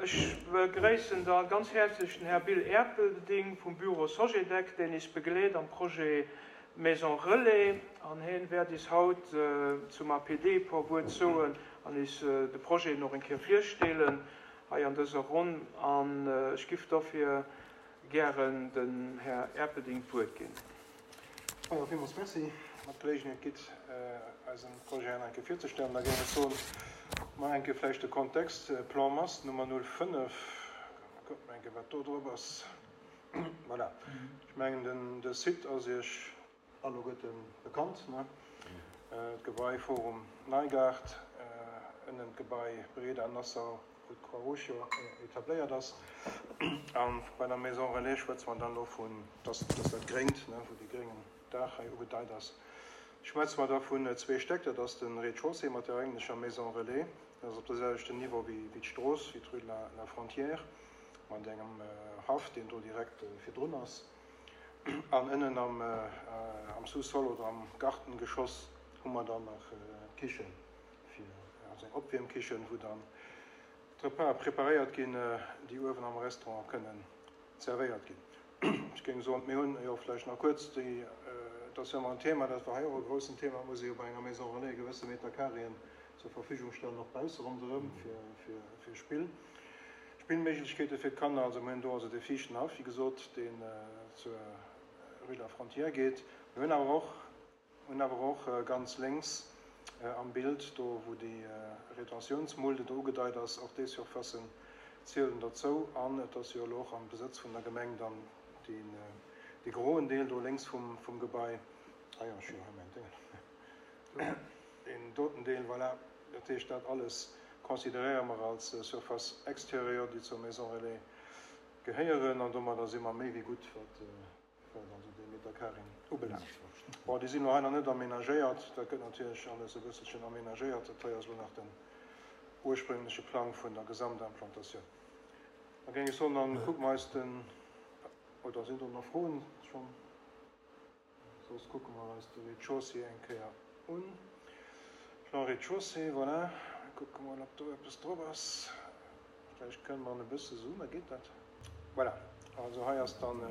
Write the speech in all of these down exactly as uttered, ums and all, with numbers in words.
Ech begréissen da ganz häerzlech den Här Bill Erpelding vum Büro Sogedec, deen is begleet am Projet Maison Relais, an hien wäert is haut zum A P D e puer Wuert soen an is de Projet nach eng Kéier virstellen hei an dëser Ronn. An ech giff dofir gären den Här Erpelding d'Wuert ginn. Ja, villmools merci, mat Gelegenheet gitt, eisen Projet nach eng Kéier virzestellen. Da géing ech soen, mal eng Kéier vläicht de Kontext, Plan Mass Nummer null fënnef. Kuckt mal eng Kéier, wat do drop ass. Voilà. Ech mengen, den, de Site ass Iech alleguerten bekannt, ne? D'Gebai Forum Neigart, ënnen d'Gebai Breda Nassau, wou d'Croix-Rouge jo etabléiert ass. An bei der Maison Relais schwätze mer dann elo vun, dass, dass dat Gréngt, ne, wou de gréngen Daach hei ugedeit ass, schwätze mer da vun zwee Stäck. Dat ass de Rez-de-chaussée mat der eigentlecher Maison Relais. Dat ass op der selwechten Niveau wéi, wéi d'Strooss, wéi d'Rue de la, la Frontière, mat engem Haff, deen do direkt virdrun ass. An ënnen am, am Sous-sol oder am Gartengeschoss hu mer dann nach d'Kichen, fir, also eng Opwiermkichen, wou dann d'Repas preparéiert ginn, déi uewen am Restaurant kënnen zervéiert ginn. Ech géing soen, mir hunn jo vläicht nach kuerz déi, dat ass jo ëmmer en Thema, dat war hei och e groussen Thema, muss ee jo bei enger Maison Relais gewësse Meter Carréen zur Verfügung stellen, och bausse ronderëm fir, fir, fir Spill, Spillméiglechkeete fir d'Kanner. Also mir hunn do also dee viischten Haff, wéi gesot, deen zur Rue de la Frontière geet. Mir hunn awer och, hunn awer och ganz lénks am Bild, do wou déi Retentiounsmulde do ugedeit ass, och déi Surfacen zielen derzou. An et ass jo elo och am Besëtz vun der Gemeng dann deen, dee groen Deel do lénks vum, vum Gebai. Ah jo, ech hu jo hei mäin Déngen. Deen doten Deel, voilà. Dat heescht, dat alles consideréiere mer als Surface extérieure, déi zur Maison Relais gehéieren. An domadder si mer méi wéi gutt, wat, wat also déi Meter Carréen ubelaangt. Bon, déi sinn elo hei nach net aménagéiert. Dat gëtt natierlech alles e bësselchen aménagéiert. Dat hei ass elo nach den ursprüngleche Plang vun der Gesamtimplantatioun. Da géing ech soen, dann kucke mer eis den, oder sinn do nach Froen schonn? Soss kucke mer eis de Rez-de-chaussée eng Kéier un. Plan Rez-de-chaussée, voilà. Kucke mol, ob do eppes drop ass. Vläicht kënne mer e bësse zoomen, geet dat? Voilà. Also hei ass dann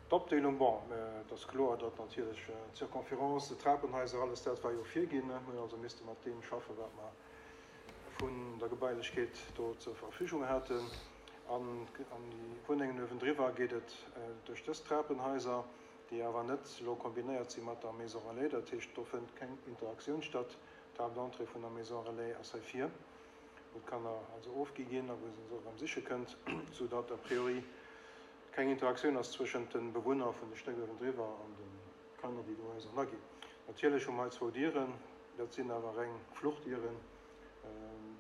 d'Opdeelung. Bon, et ass kloer, datt natierlech d'Circonférence, d'Trapenhaiser, alles dat war jo virginn. Mir hunn also misste mat deem schaffen, wat mer vun der Gebailechkeet do zur Verfügung haten. An, an déi Wunnengen uewendriwwer geet et duerch dës Trapenhaiser, déi awer net elo kombinéiert si mat der Maison Relais. Dat heescht, do fënnt keng Interaktioun statt. D'Haaptentrée vun der Maison Relais ass hei vir, wou d'Kanner also ofgi ginn a wou se se och erëm siche kënnt, soudatt a priori keng Interaktioun ass zwëschent de Bewunner vun de Stéck uewendriwwer an de Kanner, déi do ausernerginn. Natierlech hu mer hei zwou Dieren, dat sinn awer reng Fluchtdieren.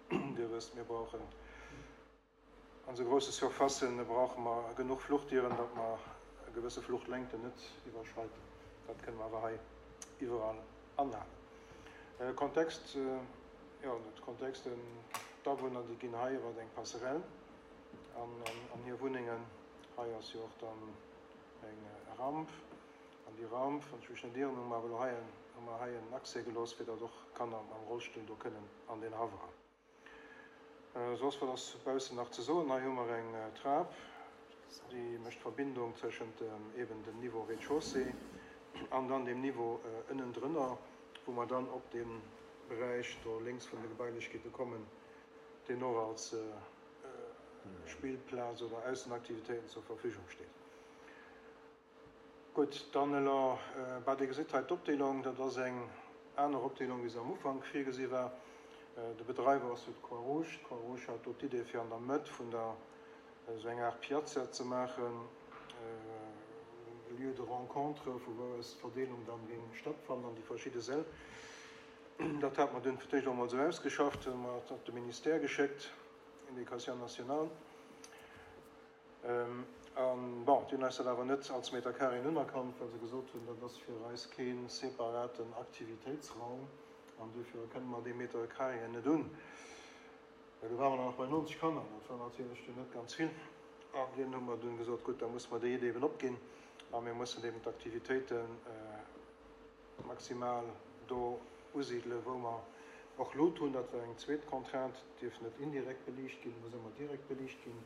Dir wësst, mir brauchen an esou grousse Surfacen brauche mer genuch Fluchtdieren, datt mer gewësse Fluchtlängten net iwwerschreiten. Dat kënne mer awer hei iwwerall anhalen. Kontext, jo, de Kontext, d'Awunner, déi ginn hei iwwer eng Passerelle an, an, an hir Wunnengen. Hei ass jo och dann eng Ramp. An déi Ramp, wann ech mech net ieren, hu mer awer elo hei en, hu mer hei en Accès gelooss, fir datt och Kanner mam Rollstull do kënnen an den Haff eran. Soss, wat ass baussen nach ze soen? Hei hu mer eng Trap, déi mécht d'Verbindung tëschent eben dem Niveau Rez-de-chaussée an dann dem Niveau ënnendrënner, wou mer dann op de Beräich do lénks vun de Gebailechkeete kommen, deen och als Spillplaz oder Aussenaktivitéiten zur Verfügung steet. Gutt, dann elo, bah, Dir gesitt hei d'Opdeelung, dat ass eng aner Opdeelung, wéi se am Ufank virgesi war. De Bedreiwer ass jo d'Croix-Rouge. D'Croix-Rouge hat do d'Idee, fir an der Mëtt vun der esou eng Art Piazza ze maachen, e Lieu de rencontre, vu wou aus d'Verdeelung dann géing stattfannen an déi verschidde Säll. Dat hat mer dunn fir d'éischt och emol esou ausgeschafft, hu mer et op de Ministère geschéckt, Éducation nationale. An bon, déi hunn eis dat awer net als Meter Carréen unerkannt, well se gesot hunn, dat ass fir eis kee separaten Aktivitéitsraum an dofir erkenne mer dee Meter Carréen net un. Well do ware mer nach bei neunzeg Kanner, dat war natierlech dunn net ganz vill. An dunn hu mer dunn gesot, gutt, da musse mer déi Idee eben opginn a mir mussen eben d'Aktivitéite maximal do usidelen, wou mer Och Lut hunn, dat war eng zweet Contrainte, dierf net indirekt beliicht ginn, muss ëmmer direkt beliicht ginn.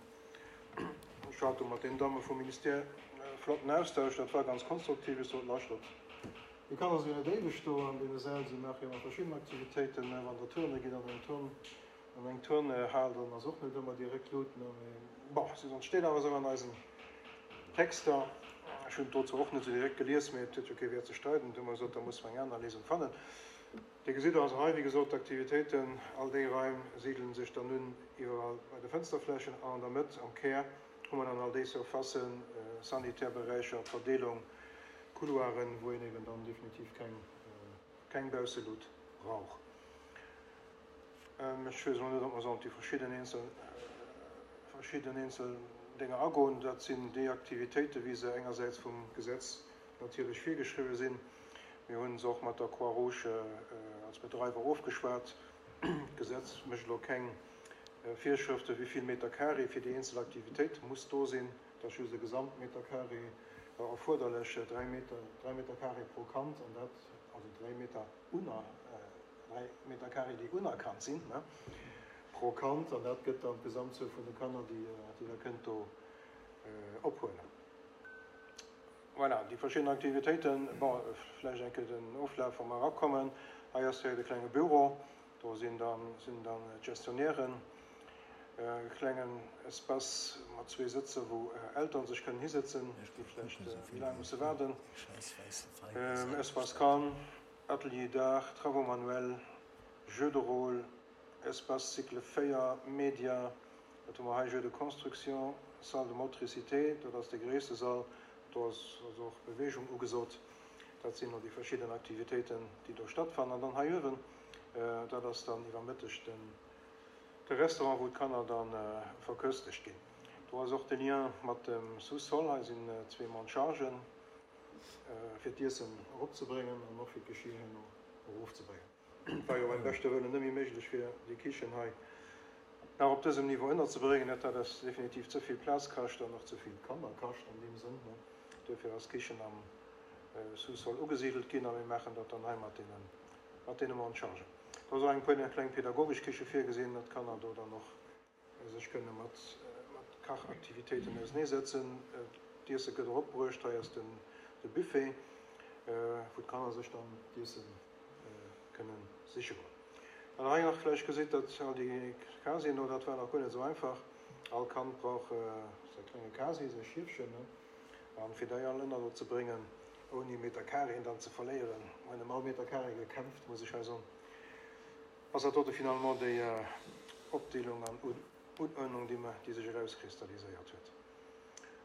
Ech hat do mat den Damme vum Ministère e flotten Austausch, dat war ganz konstruktiv. Ech sot, Lauschtert, déi Kanner sinn jo net éiweg do an deene Säll, si maache jo ëmmer verschidden Aktivitéiten, mä wann Der turne gitt an eng Turn, an eng Turnhal, dann ass och net ëmmer direkt Lut, ne, mee bon, si sot, steet awer esou an eisen Texter. Ech hunn et do zwar och net esou direkt gelies, mee et huet jo kee Wäert ze streiden. Du hu mer gesot, da musse mer eng aner Léisung fannen. Dir gesitt also hei, wéi gesot, d'Aktivitéiten, all déi Raim sidelen sech dann un iwwerall bei de Fënsterflächen an an der Mëtt, am Kär, hu mer dann all déi Surfacen, sanitär Beräicher, d'Verdeelung, Couloiren, wou een eben dann definitiv keng, keng Bausselut brauch. Ech weess elo net, ob mer sollen op déi verschidden eenzel, verschidden eenzel Dénger agoen. Dat sinn déi Aktivitéiten, wéi se engersäits vum Gesetz natierlech virgeschriwwen sinn. Mir hu se och mat der Croix-Rouge als Bedreiwer ofgeschwat. D'Gesetz mécht elo keng Virschrëften, wéi vill Meter carré fir déi eenzel Aktivitéit muss do sinn. Et ass just e Gesamtmeter carré erfuerderlech, dräi Meter, dräi Meter carré pro Kand, an dat, also dräi Meter uner, dräi Meter carré, déi unerkannt sinn, ne, pro Kand, an dat gëtt dann d'Gesamtzuel vun de Kanner, déi, déi Der kënnt do ophuelen. Voilà, déi verschidden Aktivitéiten. Bon, vläicht eng Kéier den Oflaf, wa mer erakommen. Hei ass direkt e klenge Büro, do sinn dann, sinn dann d'Gestionnairen. E klengen Espace mat zwee Sëtzer, wou Elteren sech kënnen hisëtzen, déi vläicht méi laang musse waarden. Espace calme, Atelier d'art, Travaux manuels, Jeux de rôle, Espace cycle véier, Média, wat hu mer hei, Jeux de construction, Salle de motricité, dat ass dee gréisste Sall, do ass also och Beweegung ugesot. Dat sinn elo déi verschidden Aktivitéiten, déi do stattfannen. An dann hei uewen, dat ass dann iwwer Mëtteg den de Restaurant, wou d'Kanner da verköstegt ginn. Do ass och de Lien mat dem Sous-sol. Hei sinn zwee Monte-chargen, fir d'Iessen eropzebréngen an och fir d'Geschir herno erofzebréngen. Et war jo beim beschte Wëllen net méi méiglech, fir déi Kichen hei nach op dësem Niveau ënnerzebréngen. Dat hat eis definitiv ze vill Plaz kascht an och ze vill Kanner kascht an deem Sënn. Duerfir ass d'Kichen am Sous-sol ugesidelt ginn a mir maachen dat dann hei mat deene, mat deene Monte-chargen. Do ass och eng puer kleng pedagogesch Kiche virgesinn, datt d'Kanner do dann och sech kënne mat, mat Kachaktivitéiten auseneesetzen. D'Iesse gëtt och opbruecht. Hei ass den, de Buffet, wou d'Kanner sech dann d'Iesse kënne siche goen. An hei nach vläicht gesitt, datt all déi Casien do, dat war nach guer net esou einfach. All Kand brauch säi klenge Casier, säi Schiefchen, ne? An fir déi all ënner do ze bréngen, ouni Meter Carréen dann ze verléieren, mer hunn ëm all Meter Carré gekämpft, muss ech hei soen, ass dat dote finalement déi Opdeelung an Unuerdnung, déi mer, déi sech erauskristalliséiert huet.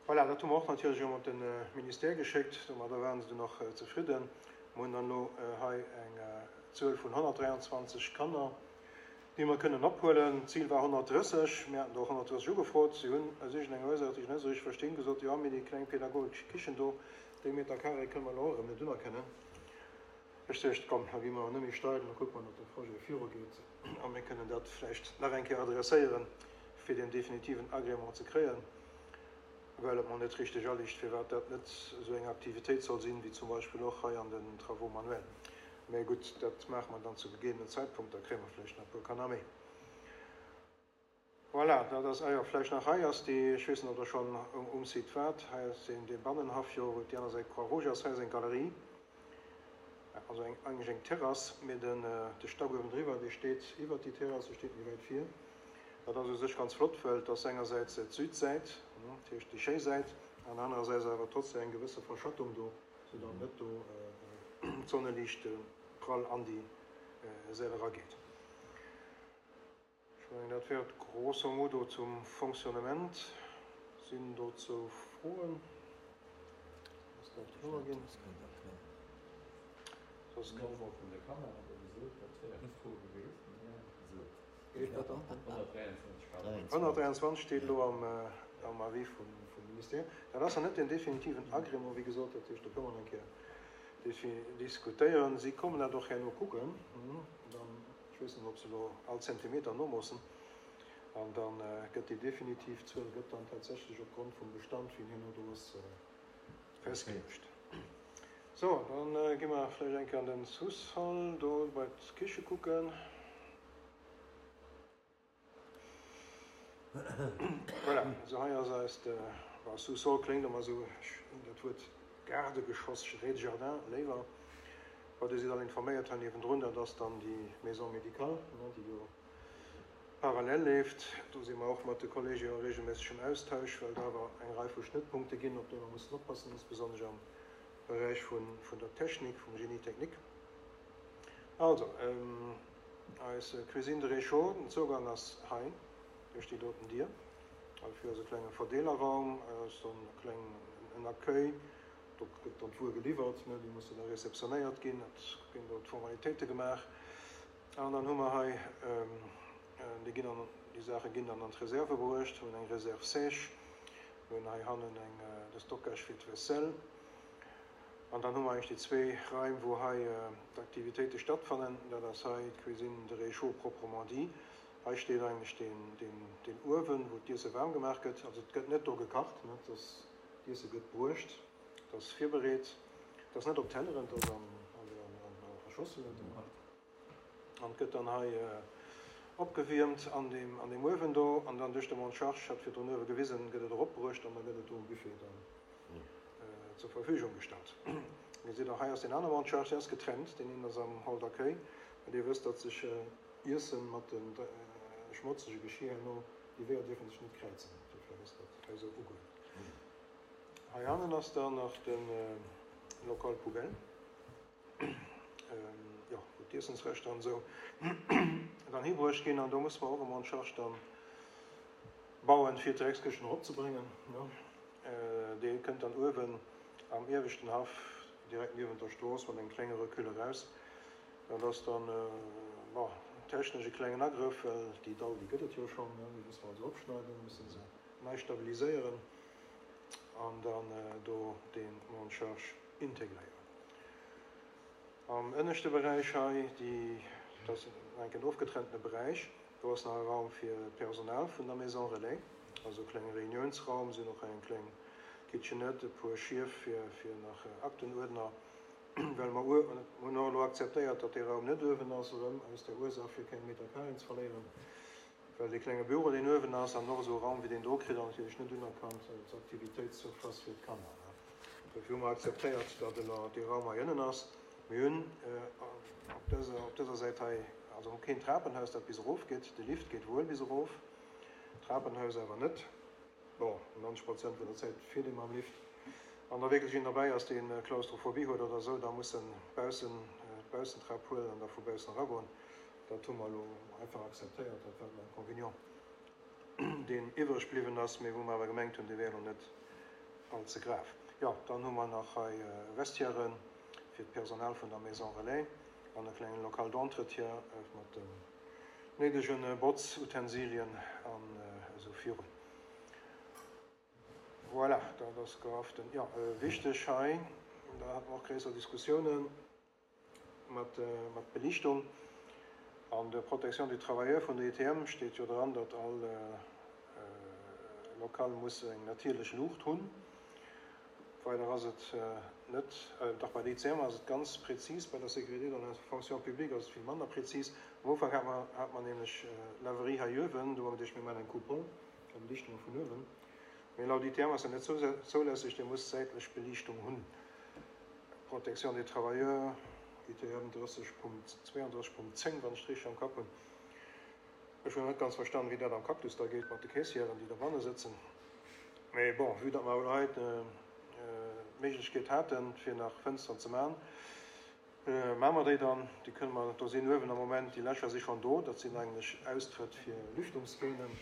Voilà, dat hu mer och natierlech erëm op de Ministère geschéckt. Domadder waren se dunn och zefridden. Mer hunn dann elo hei eng Zuel vun honnertdräianzwanzeg Kanner, déi mer kënnen ophuelen. D'Zil war honnertdrësseg. Mir haten der och honnertdrësseg ugefrot. Si hunn aus iergendenger Ursaach, déi ech net esou richteg verstinn, gesot, Jo, mee déi kleng pedagogesch Kichen do, déi Meter carré kënne mer elo och erëm net unerkennen. Ech duecht, komm, da gi mer net méi steil, da kucke mer, datt de Projet virugeet a mir kënnen dat vläicht nach eng Kéier adresséieren, fir deen definitiven Agrément ze kréien, well et mer net richteg aliicht, firwat dat net esou eng Aktivitéit soll sinn, wéi zum Beispill och hei an den Travaux manuels. Mä gutt, dat maache mer dann zu gegeebenen Zäitpunkt, da kréie mer vläicht nach e puer Kanner méi. Voilà, dat ass, ah jo, vläicht nach, hei ass déi, ech weess net, ob Der schonn um Site waart, hei ass deen, dee Bannenhaff jo, wou déi aner Säit Croix-Rouge ass, hei ass eng Galerie, also eng, eigentlech eng Terrass, mee den, de Stack uewendriwwer, dee steet iwwert déi Terrass, dee steet méi wäit vir. Dat ass u sech ganz flott, well et ass engersäits d'Südsäit, dat heescht déi schéi Säit, an anerersäits awer trotzdem eng gewësse Verschattung do, soudatt net do d'Sonneliicht prall an déi Säll erageet. Ech mengen, dat wär et grosso modo zum Fonctionnement. Sinn dozou Froen? Ass dat kloer ginn? Soss Den Nombre vun de Kanner hat Der gesot, dat wär eng Fro gewiescht. honnertdräianzwanzeg steet elo am Avis vum Ministère. Dat ass nach net den definitiven Agrément, wéi gesot, dat heescht, do kënne mer nach eng Kéier diskutéieren. Si kommen dat och herno kucken, dann, ech weess net, ob se elo all Zentimeter nomoossen, an da gëtt déi definitiv Zuel gëtt dann tatsächlech opgrond vum Bestand, wéi en herno do ass, festgeluecht. Sou, da gi mer vläicht eng Kéier an den Sous-sol do bei d'Kiche kucken. Voilà, also hei ass eist, bon, Sous-sol kléngt ëmmer esou, ech hunn dat Wuert Gaardegeschoss, Rez-de-jardin, léiwer. Bon, Dir sidd all informéiert hei niewendrun, dat ass dann déi Maison médicale, ne, déi jo parallel leeft. Do si mer och mat de Kollege a regelméissegem Austausch, well et awer eng Rei vu Schnëttpunkte ginn, op déi mer mussen oppassen, insbesonnesch am Beräich vun, vun der Technik, vum Génie technique. Also, eis Cuisine de réchaud, den Zougang ass hei duerch déi doten Dier. Heifir ass e klenge Verdeelerraum, ass dann e kleng en Accueil, do gëtt dann d'Wuer geliwwert, ne, déi musse da réceptionnéiert ginn, et ginn do d'Formalitéite gemaach. An dann hu mer hei, déi ginn dann, déi Saache ginn dann an d'Reserve bruecht, hunn eng Réserve sèche, mir hunn hei hannen eng, de Stockage fir d'Vaisselle. An dann hu mer eigentlech déi zwee Raim, wou hei d'Aktivitéite stattfannen. Dat ass hei d'Cuisine de réchaud proprement dit. Hei steet eigentlech deen, deen, deen Uewen, wou d'Iesse waarm gemaach gëtt. Also et gëtt net do gekacht, ne, et ass, d'Iesse gëtt bruecht, et ass virbereet. Et ass net op Telleren, et ass an, also an, an, a Schosselen. An et gëtt dann hei opgewiermt an deem, an deem Uewen do. An dann duerch de Monte-charge, ech hat virdrun uewe gewisen, gëtt et eropbruecht an da gëtt et do um Buffet dann zur Verfügung gestallt. Dir gesitt och, hei ass deen anere Monte-charge, deen ass getrennt, deen een ass am Hall d'accueil. Well Dir wësst, datt sech Iessen mat de schmotzege Geschir herno, déi Weeër dierfe sech net kräizen. Dofir ass dat hei esou ugeluecht. Hei hannen ass dann nach de Local poubelle, jo, wou d'Iessensreschter an esou dann hibruecht ginn. An do musse mer och e Monte-charge dann bauen, fir d'Dreckskëschten eropzebréngen. Dee kënnt dann uewen am ieweschten Haff, direkt niewent der Strooss, mat engem klenge Recul eraus. Dat ass dann, bon, technesch e klengen Agrëff, well déi Dall, déi gëtt et jo schonn, déi musse mer also opschneiden, musse se nei stabiliséieren an dann do dee Monte-charge integréieren. Am ënneschte Beräich hei, déi, dat ass enk en ofgetrenntene Beräich, do ass nach e Raum fir d'Personal vun der Maison Relais, also e klenge Reuniounsraum, sinn och eng kleng Kitchenette, e puer Schief fir, fir nach Aktenuerdner, well mer hunn och elo akzeptéiert, datt dee Raum net uewen ass, erëm aus der Ursaach, fir keng Meter carréen ze verléieren, well dee klenge Büro, deen uewen ass, an och esou e Raum wéi deen do kritt Der natierlech net unerkannt als Aktivitéitssurface fir d'Kanner. Dofir hu mer akzeptéiert, datt elo dee Raum hei ënnen ass. Mir hunn op dëser, op dëser Säit hei also keen Trapenhaus, dat bis erof geet. De Lift geet wuel bis erof, d'Trapenhaus awer net. Bon, neunzeg Prozent vun der Zäit fiert ee mam Lift. Wann da wierklech een derbäi ass, dee Klaustrophobie huet oder esou, da muss en baussen d'Baussentrap huelen an da vu baussen eragoen. Dat hu mer elo einfach akzeptéiert. Dat war den Inconvénient, deen iwwreg bliwwen ass, mee wou mer awer gemengt hunn, dee wär elo net all ze grav. Jo, dann hu mer nach hei Vestiairen fir d'Personal vun der Maison Relais an e klengen Local d'entretien mat den néidege Botzutensilien an esou virun. Voilà, dat ass gerafft. Jo, wichteg hei, da hate mer och gréisser Diskussiounen mat mat Belichtung. An der Protection du travailleur vun der I T M steet jo dran, datt all Lokal muss eng natierlech Luucht hunn. Weider ass et net, dach bei der I C M ass et ganz präzis, bei der Sécurité dans la fonction publique ass et vill manner präzis. Am Ufank hat mer hat mer nämlech Laverie hei uewen, do hu mer geduecht, mir maachen eng Coupole, da beliichte mer vun uewen. Mee laut I T M ass dat net zoulässeg, Dir musst säitlech Beliichtung hunn. Protection des travailleurs, I T M dräisseg Punkt zwouandräisseg Punkt zéng, wann ech et richteg am Kapp hunn. Ech hunn net ganz verstanen, wéi dat am Cactus da geet mat de Caissièren, déi dobanne sëtzen. Mee bon, vue datt mer elo hei d'Méiglechkeet haten, fir nach Fënsteren ze maachen, maache mer déi dann. Déi kënne mer, do sinn uewen am Moment, déi Lächer si schonn do, dat sinn eigentlech Austrëtt fir Lüftungskähnen,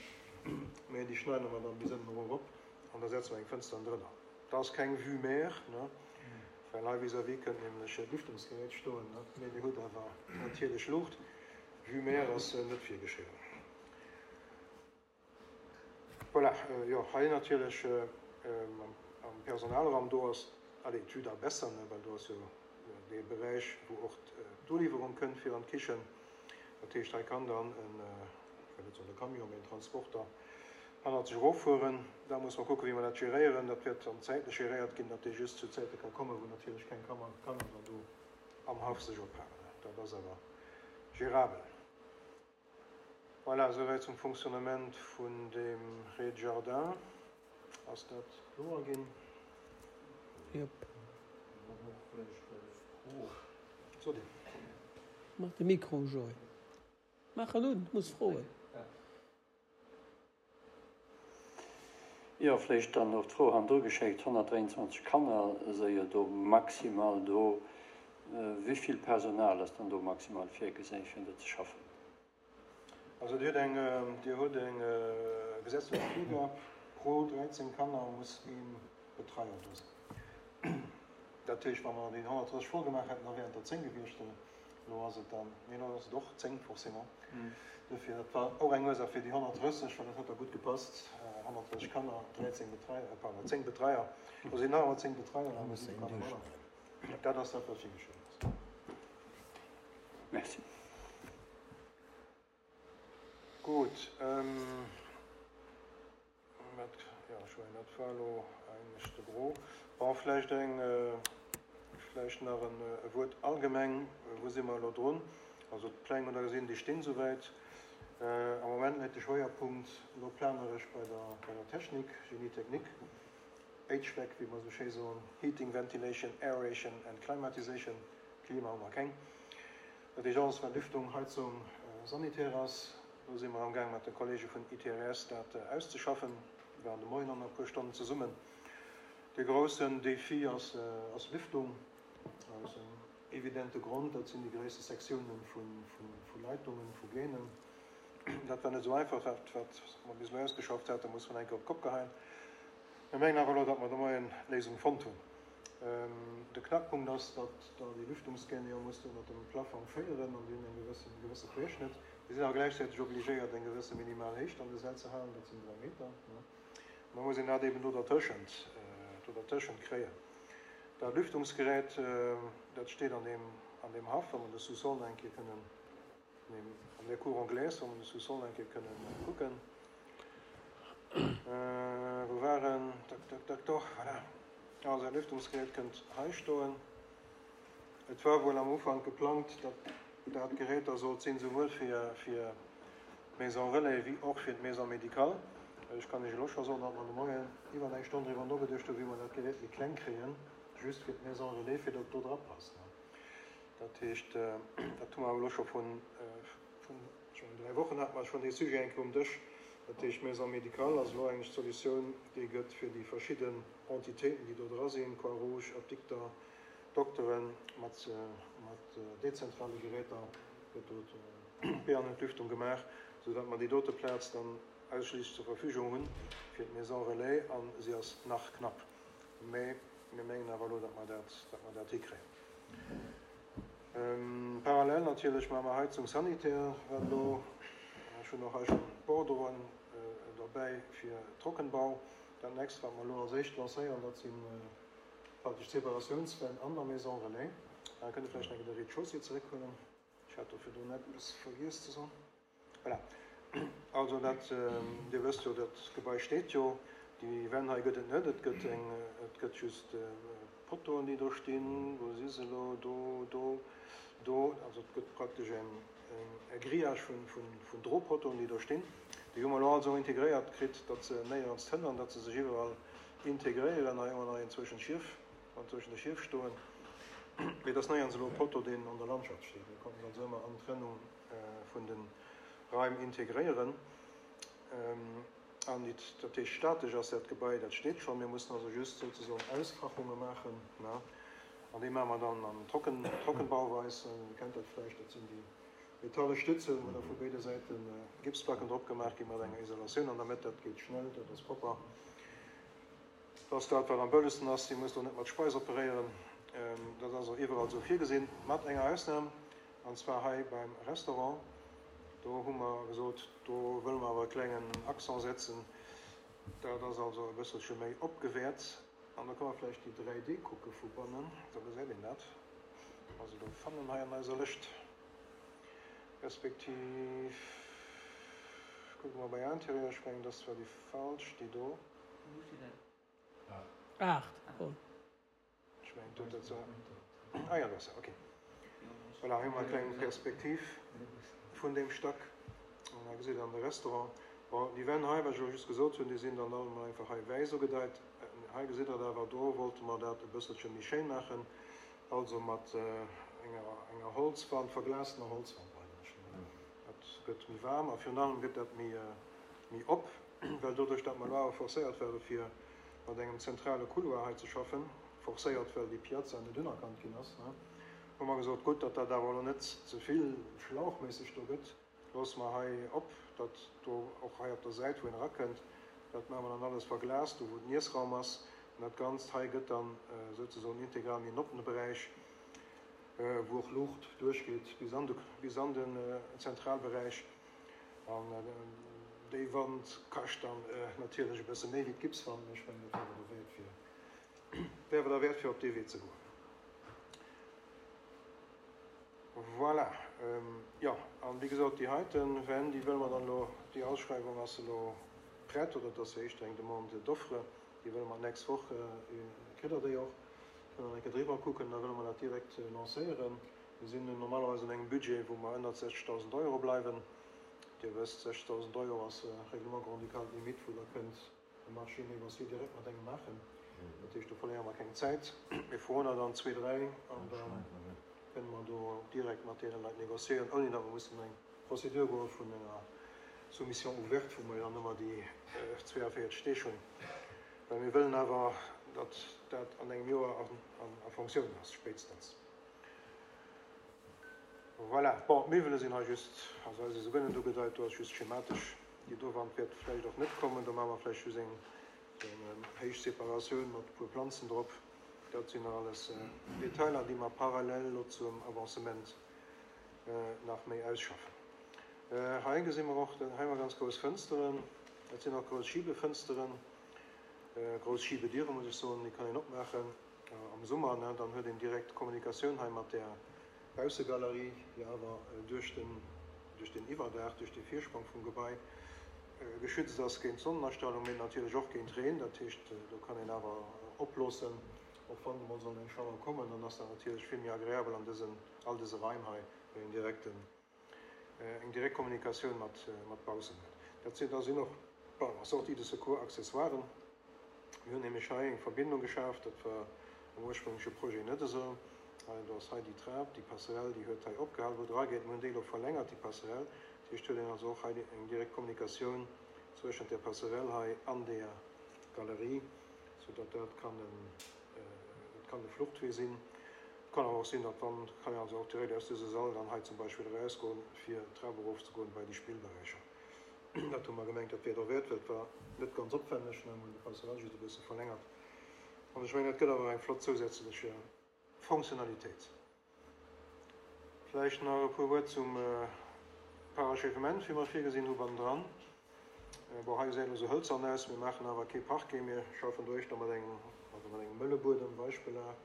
mee déi schneide mer dann bis ënnen erop an da setze mer eng Fënster drënner. Dat ass keng Vue mer, ne, well hei vis-à-vis kënnt nämlech d'Lüftungsgerät stoen, ne, mee Dir hutt awer natierlech Luucht. Vue mer ass net virgeschriwwen. Voilà, jo, hei natierlech am Personalraum, do ass, allez, d'Vue da besser, ne, well do ass jo dee Beräich, wou och d'Uliwwerung kënnt fir an d'Kichen. Dat heescht, hei kann dann en, ech wëll net soen e Camion, mee en Transporter hannert sech eroffueren. Da muss mer kucken, wéi mer dat geréieren. Dat wäert dann zäitlech geréiert ginn, datt dee just zu Zäite ka kommen, wou natierlech keng Kanner dann do am Haff sech ophalen. Dat ass awer gérabel. Voilà, esouwäit zum Fonctionnement vun deem Rez-de-jardin. Ass dat kloer ginn? Jop. Sot Dir. Maach de Mikro u, Joé. Maach en un, du muss froen. Jo, vläicht dann och d'Fro hannendru geschéckt, honnertdräianzwanzeg Kanner si jo do maximal do. Wéi vill Personal ass dann do maximal virgesinn, fir do ze schaffen? Also Dir hutt eng, Dir hutt eng gesetzlech Virgab, pro dräizéng Kanner muss ee Betreier do sinn. Dat heescht, wa mer déi honnertdrësseg voll gemaach hätten, da wären et der zéng gewiescht. Elo ass et dann, nee, elo ass et och zéng forcément. Dofir, dat war och eng Ursaach fir déi honnertdrësseg, well dat huet da gutt gepasst, honnertdrësseg Kanner, dräizéng Betreier, pardon, zéng Betreier. Do sinn nach ëmmer zéng Betreier, awer siwe Kanner manner. Dat ass dat, wat virgeschriwwen ass. Merci. Gutt. Dat, jo, ech mengen, dat war elo eigentlech de Gros. Bon, vläicht eng, vläicht nach en e Wuert allgemeng, Wou si mer elo drun? Also d'Pläng, hutt Der gesinn, déi stinn souwäit. Am Moment läit de Schwéierpunkt elo planeresch bei der, bei der Technik, Génie technique, H V A C, wéi mer esou schéi soen, Heating, Ventilation, Aeration and Climatization. Klima hu mer keng. Dat heescht alles, wat Lüftung, Heizung, Sanitär ass. Do si mer amgaang mat de Kollege vun I T R S dat auszeschaffen. Mir waren de Moien an e puer Stonnen zesummen. De groussen Défi ass ass Lüftung, aus engem evidente Grond, dat sinn déi gréisste Sektiounen vu vu Leitungen, vu Gänen. Dat war net esou einfach, dat wat mer bis elo ausgeschafft haten, muss man eng Kéier op d'Kopp geheien. Mir mengen awer elo, datt mer de Moien Léisung fonnt hunn. De Knackpunkt ass, datt Der déi Lüftungsgäne jo musst ënnert dem Plafong féieren an déi hunn eng gewëssen, e gewësse Querschnëtt. Déi sinn awer gläichzäiteg obligéiert, eng gewësse minimal Héicht an de Säll ze halen, dat sinn dräi Meter. Da muss een dat eben do dertëschent, do dertëschent kréien. Dat Lüftungsgerät, dat steet an deem, an deem Haff, wa mer de Sous-sol eng Kéier kënnen, an der Cour anglaise, wa mer de Sous-sol eng Kéier kënnen kucken. Wou war en? Tak, tak, tak, doch, voilà. Also dat Lüftungsgerät kënnt hei stoen. Et war wuel am Ufank geplangt, datt dat Gerät da sollt sinn, souwuel fir, fir d'Maison relais wéi och fir d'Maison médicale. Ech kann Iech elo scho soen, datt mer de Moien iwwer eng Stonn driwwer nogeduecht hunn, wéi mer dat Gerät méi kleng kréien, just fir d'Maison relais, fir datt et do dra passt. Dat heescht, dat hu mer awer elo scho vun, vun, ech mengen, dräi Wochen hate mer schonn dee Sujet eng Kéier um Dësch. Dat heescht, d'Maison médicale ass elo eigentlech d'Solutioun, déi gëtt fir déi verschidden Entitéiten, déi do dra sinn, Croix-Rouge, Apdikter, Dokteren, mat, mat dezentrale Geräter gëtt do d'Be an Entlüftung gemaach, soudatt mer déi dote Plaz dann ausschliisslech zur Verfügung hunn fir d'Maison relais, a si ass nach knapp. Mä mir mengen awer elo, datt mer dat, datt mer dat hikréien. Parallel natierlech maache mer Heizung sanitär, wat elo, ech hunn och hei schonn d'Bordereauen derbäi fir Trockenbau. Dat nächst, wat mer elo als éischt lancéieren, dat si praktesch d'Separatiounswänn an der Maison relais. Da kënnt Der vläicht nach de Rez-de-chaussée zeréckhuelen. Ech hat do virdrun eppes vergiess ze soen. Voilà. Also dat, Dir wësst jo, dat Gebai steet jo. Déi Wänn hei gëtt et net. Et gëtt eng, et gëtt just Poteauen, déi do stinn. Wou si se elo? Do, do, do. Also et gëtt praktesch eng, e Grillage vun, vun, vun Drotpoteauen, déi do stinn. Déi hu mer elo also integréiert kritt, datt se néierens hënnern, datt se sech iwwerall integréieren. Hei hu mer nach een zwëschen Schief, an zwëschen de Schief stoen. Mee et ass néierens elo e Poteau, deen an der Landschaft steet. Mir konnten se also ëmmer an d'Trennung vun de Raim integréieren. An dat heescht, statesch ass dat Gebai, dat steet schonn. Mir mussen also just souzesoen Ausfachunge maachen. An déi maache mer dann an Trocken, Trockenbauweis. Dir kennt dat vläicht, dat sinn déi metalle Stützen, wou da vu béide Säite Gipsplacken drop gemaach gi mat enger Isolatioun an der Mëtt. Dat geet schnell, dat ass propper. Dat ass dat, wat am bëllegsten ass. Dir musst do net mat Speis operéieren. Dat ass och iwwerall esou virgesinn, mat enger Ausnam, an zwar hei beim Restaurant. Do hu mer gesot, do wëlle mer awer e klengen Accent setzen. Dat ass also e bësselche méi opgewäert. An da kënne mer vläicht déi dräi D kucke vu bannen, da gesäit een dat. Also do fannen hei an eiser Lëscht, respektiv kucke mer bei Interieur, ech mengen, dat ass zwar déi falsch, déi do. Wou steet dat? Aacht. Oh. Ech mengen, do dat se. Ah ja, do ass se, okay. Voilà, hei hu mer eng kleng Perspektiv vun deem Stack. An hei gesitt Der dann de Restaurant. Bon, déi Wänn hei, wat ech elo just gesot hunn, déi sinn dann all emol einfach hei wäiss ugedeit. Hei gesitt Der et awer, do wollte mer dat e bësselche méi schéin maachen, also mat enger, enger Holzwand, verglastener Holzwand eigentlech. Dat gëtt méi waarm a virun allem gëtt dat méi, méi op, well doduerch, datt mer elo awer forcéiert ware fir mat engem zentrale Couloir hei ze schaffen, forcéiert, well déi Piazza net unerkannt ginn ass, hu mer gesot, gutt, datt dat awer elo net ze vill schlauchméisseg do gëtt, loosse mer hei op, datt do och hei op der Säit, wou een erakënnt, dat maache mer dann alles verglast, do wou den Iessraum ass. An dat Ganzt hei gëtt dann souzesoen integral méi en oppene Beräich, wou och Luucht duerchgeet bis an de, bis an den Zentralberäich. An déi Wand kascht dann natierlech e bësse méi wéi d'Gipswand, mee ech mengen, dat wär awer derwäert fir, wär awer derwäert fir op dee Wee ze goen. Voilà. Jo, an wéi gesot, déi heite Wänn, déi wëlle mer dann elo, déi Ausschreiwung ass elo prett, oder et ass jo éischter eng Demande d'offre, déi wëlle mer d'nächst Woch, kritt Der déi och, kënnt Der eng Kéier driwwer kucken, da wëlle mer dat direkt lancéieren. Mir sinn normalerweis an engem Budget, wou mer ënnert sechzegdausend Euro bleiwen. Dir wësst, sechzegdausend Euro ass Règlement grand-ducal d'Limite, wou Der kënnt e Marché négocié direkt mat engem maachen. Dat heescht, do verléiere mer keng Zäit. Mir froen der dann zwee, dräi an da kënne mer do direkt mat deene Leit négociéieren, ouni datt mer mussen eng Procédure goe vun enger Soumission ouverte, wou mer jo dann ëmmer déi zweeënvéierzeg Deeg hunn. Well mir wëllen awer, datt dat an engem Joer a Fonctioun ass, spéitstens. Voilà. Bon, d'Miwwele sinn hei just, also hei si se guer net ugedeit, do ass just schematesch. Déi do Wand wäert vläicht och net kommen, do maache mer vläicht just eng héich Separatioun mat e puer Planzen drop. Dat sinn nach alles Detailer, déi mer parallel elo zum Avancement nach méi ausschaffen. Hei gesi mer och, hei hu mer ganz grouss Fënsteren, dat sinn och grouss Schibefënsteren, grouss Schibediere muss ech soen, déi kann een opmaachen am Summer, dann huet een direkt Kommunikatioun hei mat där Baussegalerie, déi awer duerch den, duerch den Iwwerdaach, duerch de Virsprong vum Gebai geschützt ass géint d'Sonnenastrahlung, mee natierlech och géint Reen. Dat heescht, do kann een awer oploossen, och wann emol soll eng Schauer kommen, dann ass dat natierlech vill méi agreabel an dësen, all dëse Raim hei, well een direkt en, eng direkt Kommunikatioun mat, mat baussen huet. Dat sinn, da sinn och, pardon, Sorties de secours, Accessoiren. Mir hunn nämlech hei eng Verbindung geschaf, dat war am ursprüngleche Projet net esou. Hei, do ass hei déi Trap, déi Passerelle, déi huet hei opgehal, wou et erageet. Mir hunn déi elo verlängert, déi Passerelle. Dat heescht, huet een also och hei eng direkt Kommunikatioun zwëschent där Passerelle hei an där Galerie, soudatt dat kann en, dat kann e Fluchtwee sinn. Et kann awer och sinn, datt wann, kann een also och direkt aus dëse Sall dann hei zum Beispill erausgoen, fir d'Trap erofzegoen bei déi Spillberäicher. Dat hu mer gemengt, dat wär derwäert, well et war net ganz opwänneg, mir hunn déi Passerelle just e bësse verlängert. An ech mengen, dat gëtt awer eng flott zousätzlech Fonctionnalitéit. Vläicht nach e puer Wuert zum Parachèvement, wéi mer et virgesinn hu bannendran. Bon, hei gesäit elo esou hëlzern aus. Mir maachen awer kee Parquet. Mir schaffen do éischter mat engem, also mat engem mëlle Buedem, Weichbelag,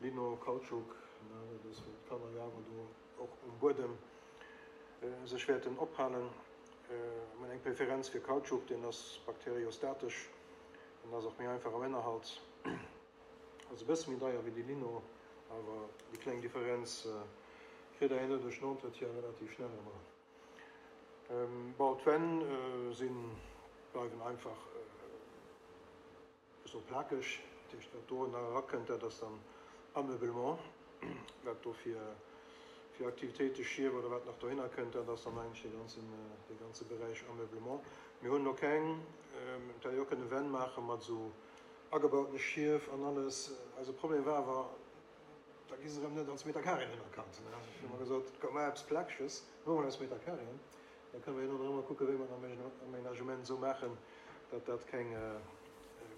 Lino, Kautschuk, dat ass, wou d'Kanner jo awer do och um Buedem sech wäerten ophalen. Mir hunn eng Preferenz fir Kautschuk, deen ass bakteriostatesch, deen ass och méi einfach am Ënnerhalt. Ass e bësse méi deier wéi de Lino, awer déi kleng Differenz kritt Der herno duerch den Entretien relativ schnell erëm eran. Bon, d'Wänn sinn, bleiwen einfach esou plakeg. Dat heescht, wat do nach erakënnt, dat ass dann Ameublement, wat do fir fir Aktivitéite, Schief oder wat nach dohinner kënnt, dat ass dann eigentlech dee ganzen, dee ganze Beräich Ameublement. Mir hunn elo keng, et hätt ee jo och kënne Wänn maache mat esou agebautene Schief an alles. Eise Problem war awer, da gi se erëm net als Meterkarien unerkannt. Hu mer gesot, komm, maach eppes Plakeges, huele mer eis Meterkarien, da kënne mer jo nach ëmmer kucken, wéi mer den Aménagement esou maachen, datt dat keng,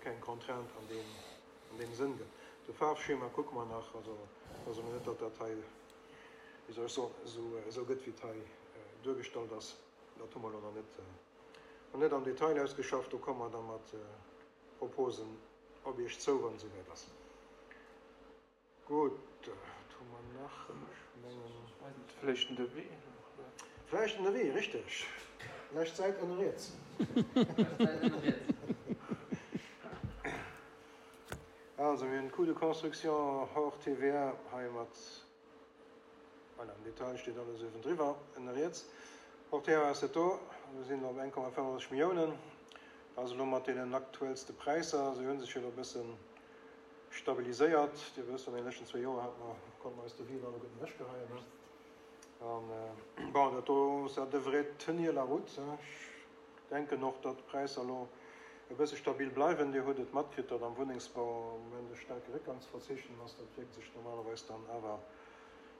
keng Contrainte an deem, an deem Sënn gëtt. De Faarfschema kucke mer nach, also et ass elo net, datt dat hei, wéi soll ech soen, esou, esou gëtt, wéi et hei duergestallt ass. Dat hu mer elo nach net, nach net am Detail ausgeschafft. Do komme mer da mat Proposen op Iech zou, wann et esouwäit ass. Gutt, wat hu mer nach? Ech mengen. Vläicht den Devis nach, oder? Vläicht den Devis, richteg. Lescht Säit ënne riets. Lescht Säit ënne riets. Also, mir hunn Coût de construction hors T V A hei mat, voilà, am Detail steet alles uewendriwwer ënne riets. Portière ass dat do, do sinn op eng Komma fënnefenddrësseg Milliounen. Dat ass elo mat deenen aktuellste Präisser. Se hu sech jo elo e bësse stabiliséiert. Dir wësst, an deene leschten zwee Joer hate mer, konnte mer eis Devisen alleguerten ewechgeheien, ne? An, bon, dat do, ça devrait tenir la route, hein. Ech denken och, datt d'Präisser elo e bësse stabil bleiwen. Dir hutt et matkritt, datt am Wunnengsbau am Moment e staarke Réckgang ze verzeechnen ass. Dat wierkt sech normalerweis dann awer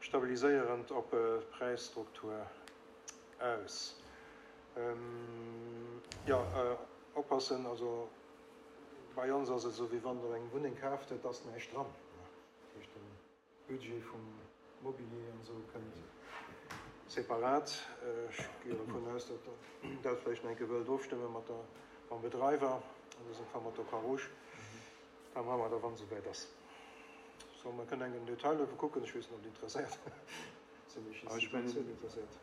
stabiliséierend op d'Präisstruktur aus. Jo, oppassen, also bei ons ass et esou, wéi wann Der eng Wunneng kaaft, et ass näischt dran. Dat heescht, de Budget vum Mobilier an esou kënnt separat. Ech gi dovun aus, datt Der dat vläicht nach eng Kéier wëllt ofstëmme mat der, mam Bedreiwer, an dësem Fall mat der Croix-Rouge. Da maache mer dat, wann et esouwäit ass. So, mer kënnen eng den Detail dofir kucken. Ech weess net, ob Dir interesséiert sinn. Ech sinn net interesséiert.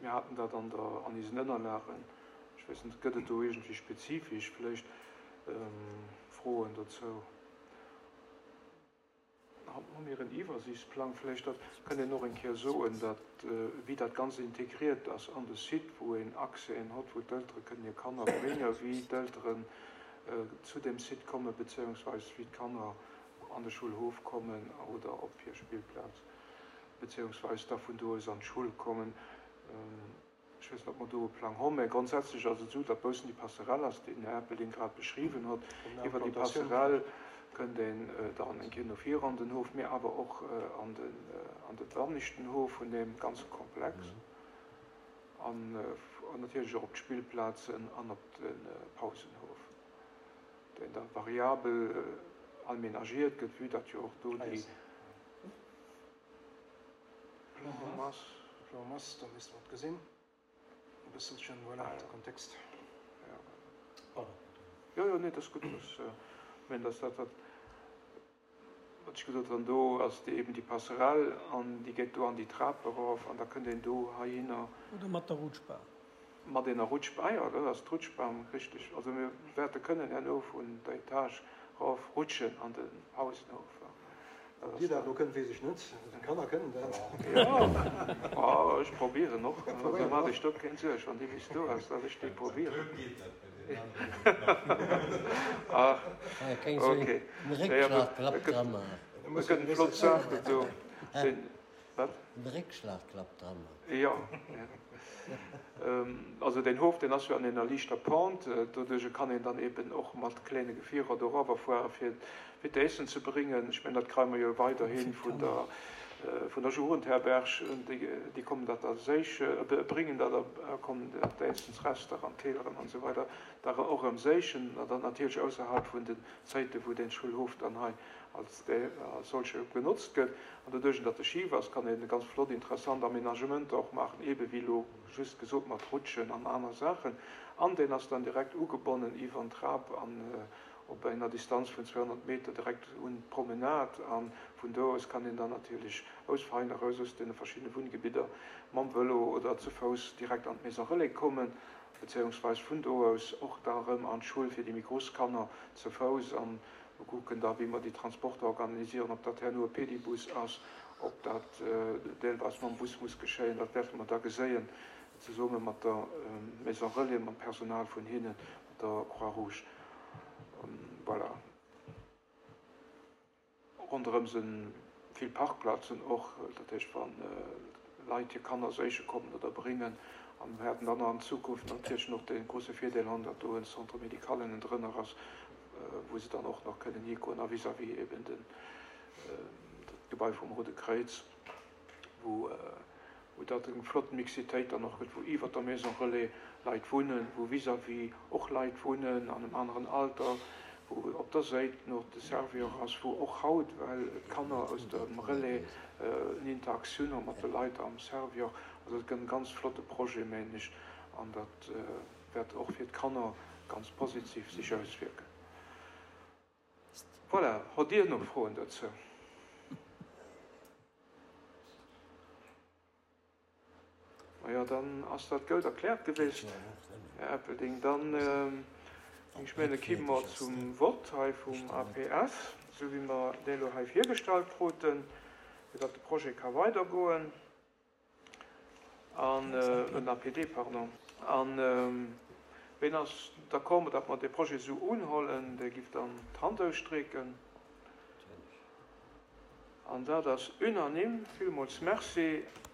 Mir haten dat an der, an isen Ënnerlagen. Ech weess net, gëtt et do iergendwéi spezifesch vläicht Froen dozou? Hu mir en Iwwersiichtsplang? Vläicht dat kënnt een och eng Kéier soen, datt, wéi dat Ganzt integriert ass an de Site, wou een Accèsen hott, wou d'Eltere kënnen hir Kanner bréngen, wéi d'Elteren zu deem Site kommen, beziehungsweis wéi d'Kanner an de Schulhof kommen oder op hir Spillplaz, beziehungsweis da vun do aus an d'Schull kommen. Ech weess net, ob mer do e Plang honn, mä grondsätzlech ass et esou, datt baussen déi Passerelle ass, déi den Här Erpelding grad beschriwwen huet. Iwwer déi Passerelle kënnt een dann eng Kéier no vir an den Hof, mä awer och an den, an de banneschten Hof vun deem ganze Komplex an natierlech och op d'Spillplazen an op de Pausenhof, deen da variabel aménagiert gëtt, vue datt jo och do déi Plan en masse. Plan en masse, da misste mer et gesinn e bësselchen, voilà, de Kontext. Pardon. Jo, jo, nee, dat ass gutt. Ech mengen, dass dat, wat ech gesot hunn, do ass déi eben déi Passerelle an déi geet do an déi Trap erof an da kënnt een do heihinner. Oder mat der Rutschbahn. Mat ener Rutschbahn, jo, dat ass d'Rutschbahn, richteg. Also mir wäerte kënnen herno vun der Etage erof rutschen an de Pausenhof. Ob Dir dat elo kënnt, weess ech net. D'Kanner kënnen dat. Jo, ech probieren och. Also maacht Iech do keng Suerg, wann déi bis do ass, datt ech déi probieren. Ach, okay. Et gëtt eng flott Saach do. Wat? Den Réckschlagklapp dran. Jo. Also deen Hof, deen ass jo an enger liichter Pente, doduerch kann een dann eben och mat kléine Gefierer do eriwwerfuere fir fir d'Eessen ze bréngen. Ech mengen, dat kréie mer jo weiderhi vun der vun der Jugendherberg, déi kommen dat da séiche, bréngen dat a kommen d'Eessensrester an d'Keeleren an esou weider da och erëm séichen, an dann natierlech ausserhalb vun den Zäite wou dee Schulhof dann hei als solche genotzt gëtt. An doduerch, datt e schif ass, kann een ganz flott, interessant Aménagementer och maachen, eebe wéi elo just gesot mat Rutschen an aner Saachen. An deen ass dann direkt ugebonnen iwwer en Trap an op enger Distanz vun zweehonnert Meter direkt un d'Promenade. A vun do aus kann een dann natierlech aus Vein eraus, aus deene verschiddene Wunngebidder mam Vëlo oder ze Fouss direkt an d'Maison Relais kommen, bezéiungsweis vun do aus och da erëm an d'Schull fir déi méi grouss Kanner ze Fouss. An mer kucken da wéi mer déi Transporter organisieren, ob dat herno e Pedibus ass, ob dat deelweis mam Bus muss geschéien, dat wäerte mer da geséien, zesumme mat der Maison Relais, mam Personal vun hinnen, mat der Croix-Rouge. Voilà. Ronderëm si vill Parkplazen och, dat heescht wa Leit hir Kanner séiche kommen oder bréngen. A mir wäerten dann an Zukunft natierlech och dee grouse Virdeel hunn, datt do en Centre médical ënnendrënner ass, wou se dann och nach kënnen higoen a vis-à-vis eben den, dat Gebai vum Roude Kräiz, wou wou dat eng flott Mixitéit dann och gëtt, wou iwwert der Maison Relais Leit wunnen, wou vis-à-vis och Leit wunnen an engem aneren Alter, wou op der Séit no de Servior ass, wou och haut, well d'Kanner aus dem Relais en Interaktioun hu mat de Leit am Servior. Also et gëtt en ganz flotte Projet, mengen ech, an dat wäert och fir d'Kanner ganz positiv sech auswierken. Voilà, hott Dir nach Froen dozou? Majo, dann ass dat goud erkläert gewiescht, Här Erpelding. Dann, ech menge, kimme mer zum Vott hei vum A P S, esou wéi mer dee elo hei virgestallt kruten, fir datt de Projet ka weidergoen. An, en APD, pardon. An ween ass d'accord mat, datt mer dee Projet esou unhollen, dee giff dann d'Hand ausstreeken. An dat ass unanime. Villmools Merci.